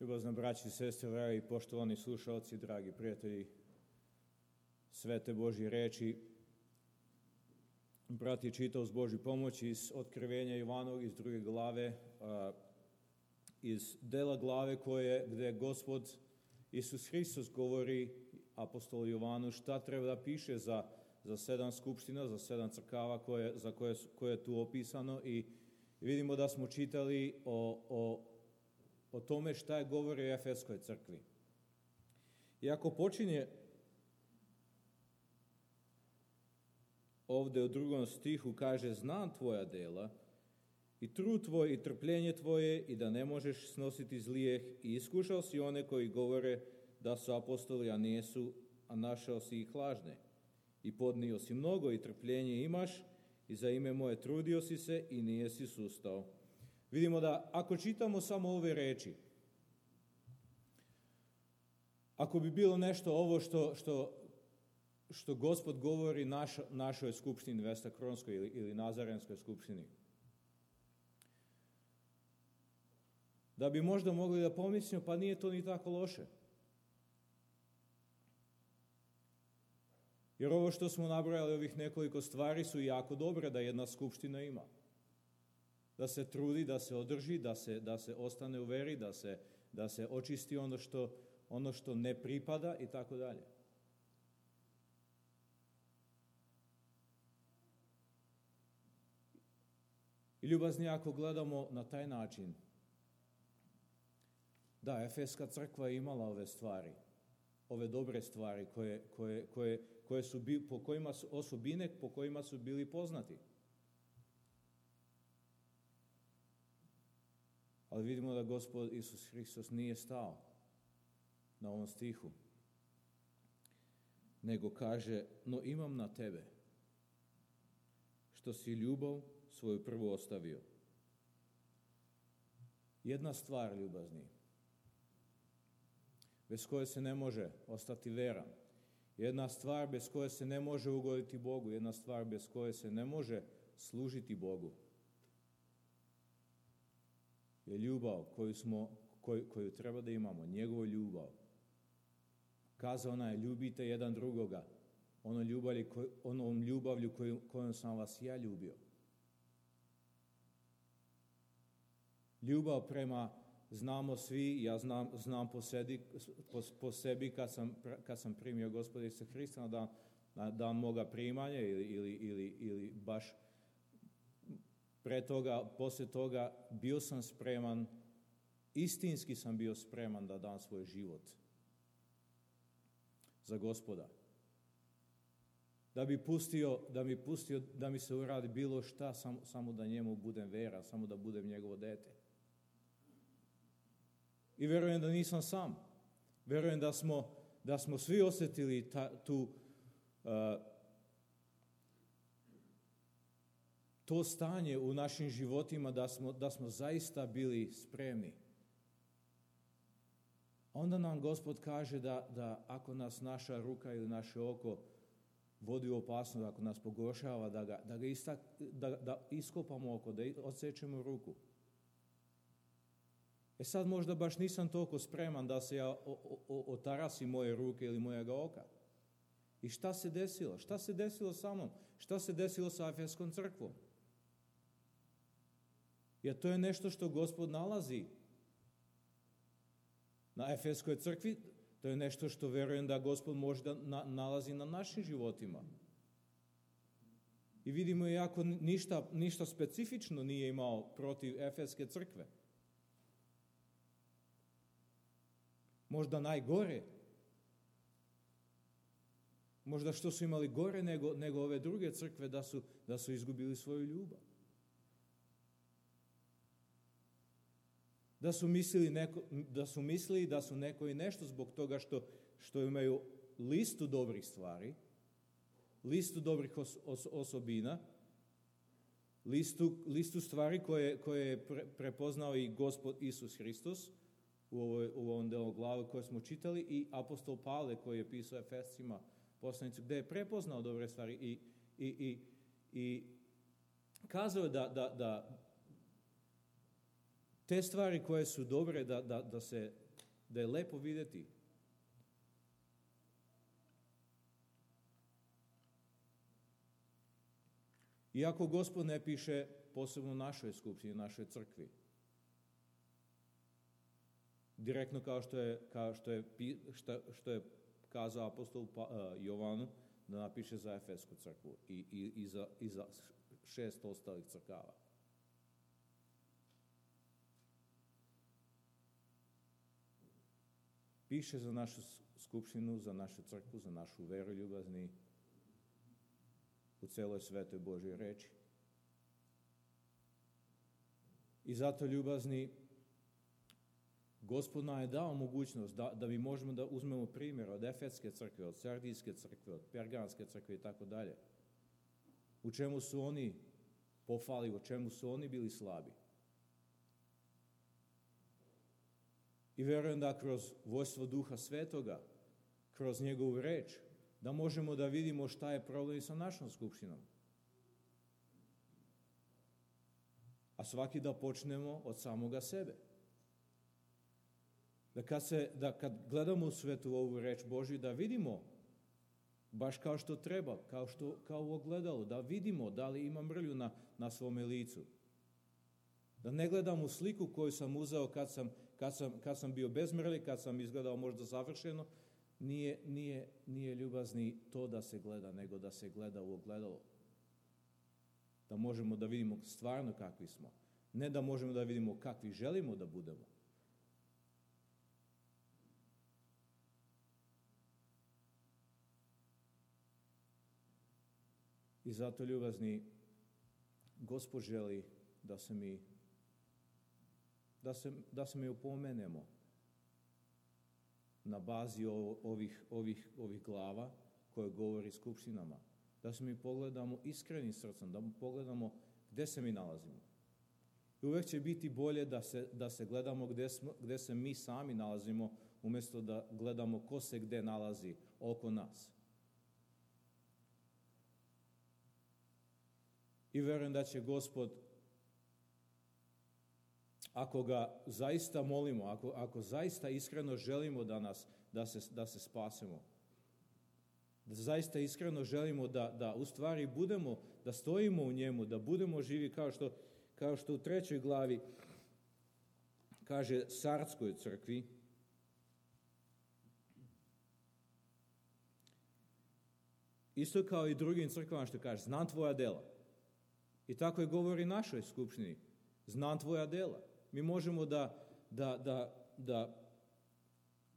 Ljubazna braći i sestre, dragi poštovani slušalci, dragi prijatelji svete Božje reči, brat je čitao s Božju pomoć iz Otkrivenja Ivanovog, iz 2. glave, iz dela glave gdje Gospod Isus Hristos govori apostolu Jovanu šta treba da piše za 7 skupština, za 7 crkava koje je tu opisano, i vidimo da smo čitali o tome šta je govori o Efeskoj crkvi. I ako počinje ovdje u 2. stihu, kaže: znam tvoja dela i trud tvoj i trpljenje tvoje i da ne možeš snositi zlijeh i iskušao si one koji govore da su apostoli, a nisu, a našao si ih lažne. I podnio si mnogo i trpljenje imaš i za ime moje trudio si se i nije si sustao. Vidimo da ako čitamo samo ove reči, ako bi bilo nešto ovo što Gospod govori našoj skupštini Vestakronskoj ili Nazarenskoj skupštini, da bi možda mogli da pomislimo, pa nije to ni tako loše. Jer ovo što smo nabrojali, ovih nekoliko stvari, su jako dobre da jedna skupština ima. Da se trudi, da se održi, da se ostane u veri, da se očisti ono što ne pripada i tako dalje. I ljubazni, ako gledamo na taj način, da, Efeska crkva je imala ove stvari, ove dobre stvari koje su po kojima su osobine po kojima su bili poznati. Ali vidimo da Gospod Isus Hristos nije stao na ovom stihu, nego kaže: no imam na tebe što si ljubav svoju prvu ostavio. Jedna stvar, ljubazni, bez koje se ne može ostati veran, jedna stvar bez koje se ne može ugoditi Bogu, jedna stvar bez koje se ne može služiti Bogu, je ljubav koju treba da imamo, njegovu ljubav. Kazao ona je: ljubite jedan drugoga onom ljubavlju kojom sam vas ja ljubio. Ljubav prema, znamo svi, ja znam po sebi kad sam primio Gospoda Isusa Hrista na dan moga primanja ili baš pre toga, poslije toga, bio sam spreman, istinski sam bio spreman da dam svoj život za Gospoda. Da mi se uradi bilo šta, samo da njemu budem vera, samo da budem njegovo dete. I verujem da nisam sam. Verujem da smo svi osjetili to stanje u našim životima, da smo zaista bili spremni. Onda nam Gospod kaže da ako nas naša ruka ili naše oko vodi u opasnost, ako nas pogoršava, da iskopamo oko, da odsečemo ruku. Sad možda baš nisam toliko spreman da se ja otarasim moje ruke ili mojega oka. I šta se desilo? Šta se desilo sa mnom? Šta se desilo sa Efeskom crkvom? Jer to je nešto što Gospod nalazi na Efeskoj crkvi, to je nešto što verujem da Gospod može da nalazi na našim životima. I vidimo, iako ništa specifično nije imao protiv Efeske crkve. Možda najgore. Možda što su imali gore nego ove druge crkve, da su izgubili svoju ljubav. Da su mislili da su neko i nešto zbog toga što imaju listu dobrih stvari, listu dobrih osobina, listu stvari koje je prepoznao i Gospod Isus Hristos u ovom delu glave koje smo čitali, i apostol Pavle koji je pisao Efescima poslanicu, gdje je prepoznao dobre stvari i kazao da te stvari koje su dobre, da se da je lepo vidjeti. Iako Gospod ne piše posebno našoj skupštini, našoj crkvi, direktno kao što je kazao apostol Jovanu, da napiše za Efesku crkvu i za 6 ostalih crkava. Piše za našu skupštinu, za našu crkvu, za našu veru ljubazni u celoj svetoj Božjoj reči. I zato ljubazni, Gospod nam je dao mogućnost da mi možemo da uzmemo primjer od Efeske crkve, od Sardijske crkve, od Perganske crkve i tako dalje. U čemu su oni pofali, u čemu su oni bili slabi. I vjerujem da kroz vojstvo Duha Svetoga, kroz njegovu reč, da možemo da vidimo šta je problem sa našom skupštinom. A svaki da počnemo od samoga sebe. Da kad gledamo u svetu ovu reč Božju, da vidimo baš kao što treba, kao u ogledalu, da vidimo da li ima mrlju na svome licu. Da ne gledam u sliku koju sam uzeo kad sam bio bez mrlje, kad sam izgledao možda savršeno. Nije ljubazni to da se gleda, nego da se gleda u ogledalo. Da možemo da vidimo stvarno kakvi smo. Ne da možemo da vidimo kakvi želimo da budemo. I zato, ljubazni, Gospod želi da se mi opomenemo na bazi ovih glava koje govori skupštinama. Da se mi pogledamo iskrenim srcem, da pogledamo gde se mi nalazimo. I uvek će biti bolje da se gledamo gde se mi sami nalazimo, umjesto da gledamo ko se gde nalazi oko nas. I verujem da će Gospod, ako ga zaista molimo, ako zaista iskreno želimo da se spasemo, da zaista iskreno želimo da u stvari budemo, da stojimo u njemu, da budemo živi kao što u 3. glavi kaže Sardskoj crkvi, isto kao i drugim crkvama što kaže, znam tvoja dela. I tako je govori našoj skupštini, znam tvoja dela. Mi možemo da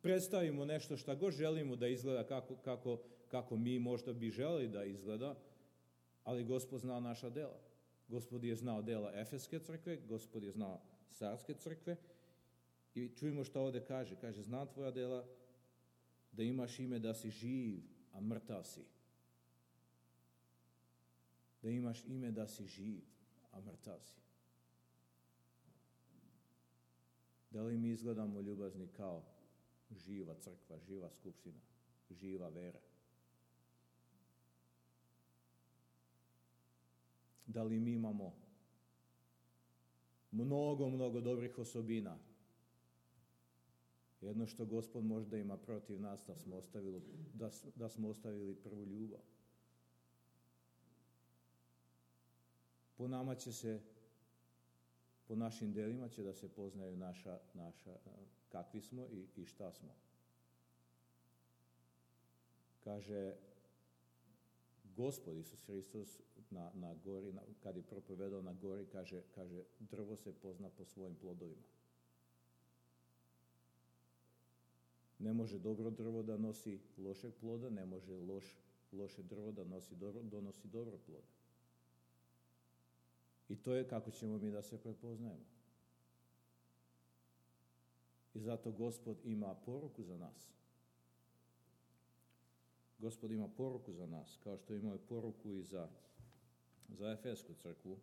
predstavimo nešto šta god želimo da izgleda kako mi možda bi želeli da izgleda, ali Gospod zna naša dela. Gospod je znao dela Efeske crkve, Gospod je znao Sardske crkve i čujemo što ovdje kaže. Kaže, znam tvoja dela, da imaš ime da si živ, a mrtav si. Da imaš ime da si živ, a mrtav si. Da li mi izgledamo, ljubazni, kao živa crkva, živa skupština, živa vera? Da li mi imamo mnogo dobrih osobina? Jedno što Gospod možda ima protiv nas, da smo ostavili prvu ljubav. Po nama će se, po našim delima će da se poznaju naša kakvi smo i šta smo. Kaže Gospod Isus Hristos na gori, kad je propovedao na gori, kaže drvo se pozna po svojim plodovima. Ne može dobro drvo da nosi lošeg ploda, ne može loše drvo da donosi dobro ploda. I to je kako ćemo mi da se prepoznajemo. I zato Gospod ima poruku za nas. Gospod ima poruku za nas, kao što ima poruku i za Efesku crkvu,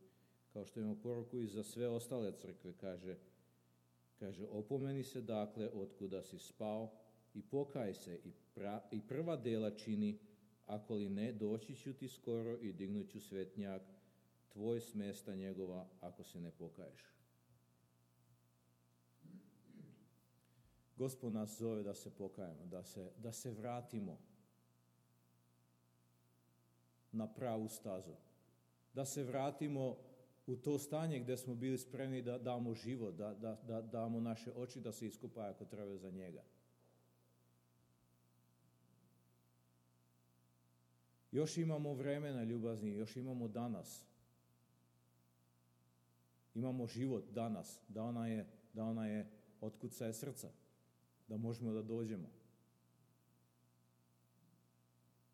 kao što ima poruku i za sve ostale crkve. Kaže, opomeni se dakle otkuda si spao i pokaj se i prva dela čini, ako li ne, doći ću ti skoro i dignut ću svetnjak tvoj s mesta njegova, ako se ne pokaješ. Gospod nas zove da se pokajemo, da se vratimo na pravu stazu. Da se vratimo u to stanje gdje smo bili spremni da damo život, da damo naše oči da se iskupaju ako treba za njega. Još imamo vremena, ljubazni, još imamo danas. Imamo život danas, da ona je otkucaje srca, da možemo da dođemo.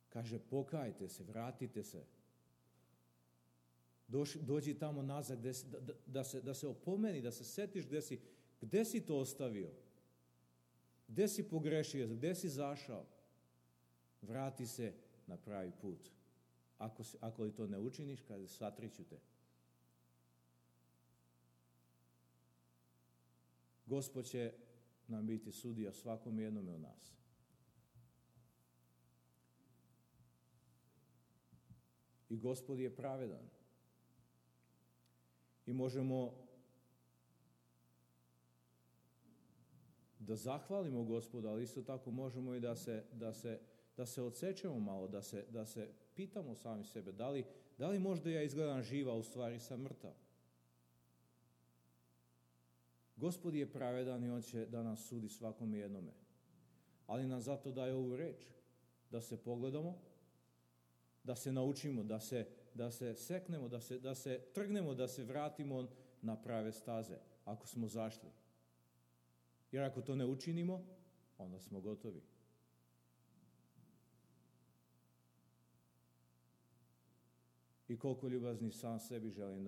Kaže, pokajte se, vratite se. Dođi tamo nazad, da se opomeni, da se setiš gdje si to ostavio, gdje si pogrešio, gdje si zašao. Vrati se na pravi put. Ako li to ne učiniš, kaže, satriću te. Gospod će nam biti sudija svakom jednome od nas. I Gospod je pravedan. I možemo da zahvalimo Gospoda, ali isto tako možemo i da se odsečemo malo, da se pitamo sami sebe, da li možda ja izgledam živa, a u stvari sam mrtav. Gospod je pravedan i on će da nas sudi svakome jednome. Ali nam zato daje ovu reč, da se pogledamo, da se naučimo, da se seknemo, da se trgnemo, da se vratimo na prave staze, ako smo zašli. Jer ako to ne učinimo, onda smo gotovi. I koliko ljubazni sam sebi želim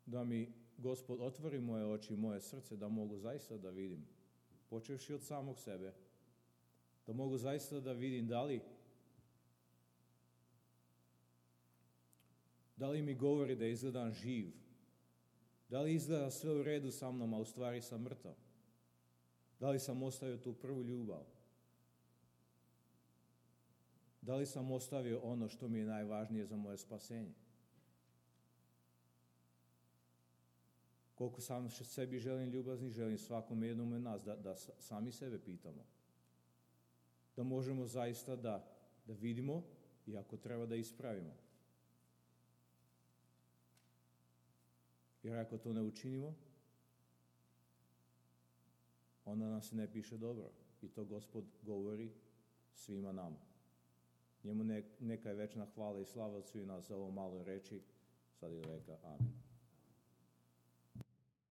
da mi Gospod otvori moje oči i moje srce, da mogu zaista da vidim, počevši od samog sebe, da mogu zaista da vidim da li mi govori da izgledam živ, da li izgleda sve u redu sa mnom, a u stvari sam mrtav, da li sam ostavio tu prvu ljubav, da li sam ostavio ono što mi je najvažnije za moje spasenje. Koliko sam sebi želim ljubazni, želim svakom jednom od nas da sami sebe pitamo. Da možemo zaista da vidimo i ako treba da ispravimo. Jer ako to ne učinimo, onda nam se ne piše dobro. I to Gospod govori svima nama. Njemu neka je večna hvala i slava od svih nas za ovo malo reči, sad i veka. Amen.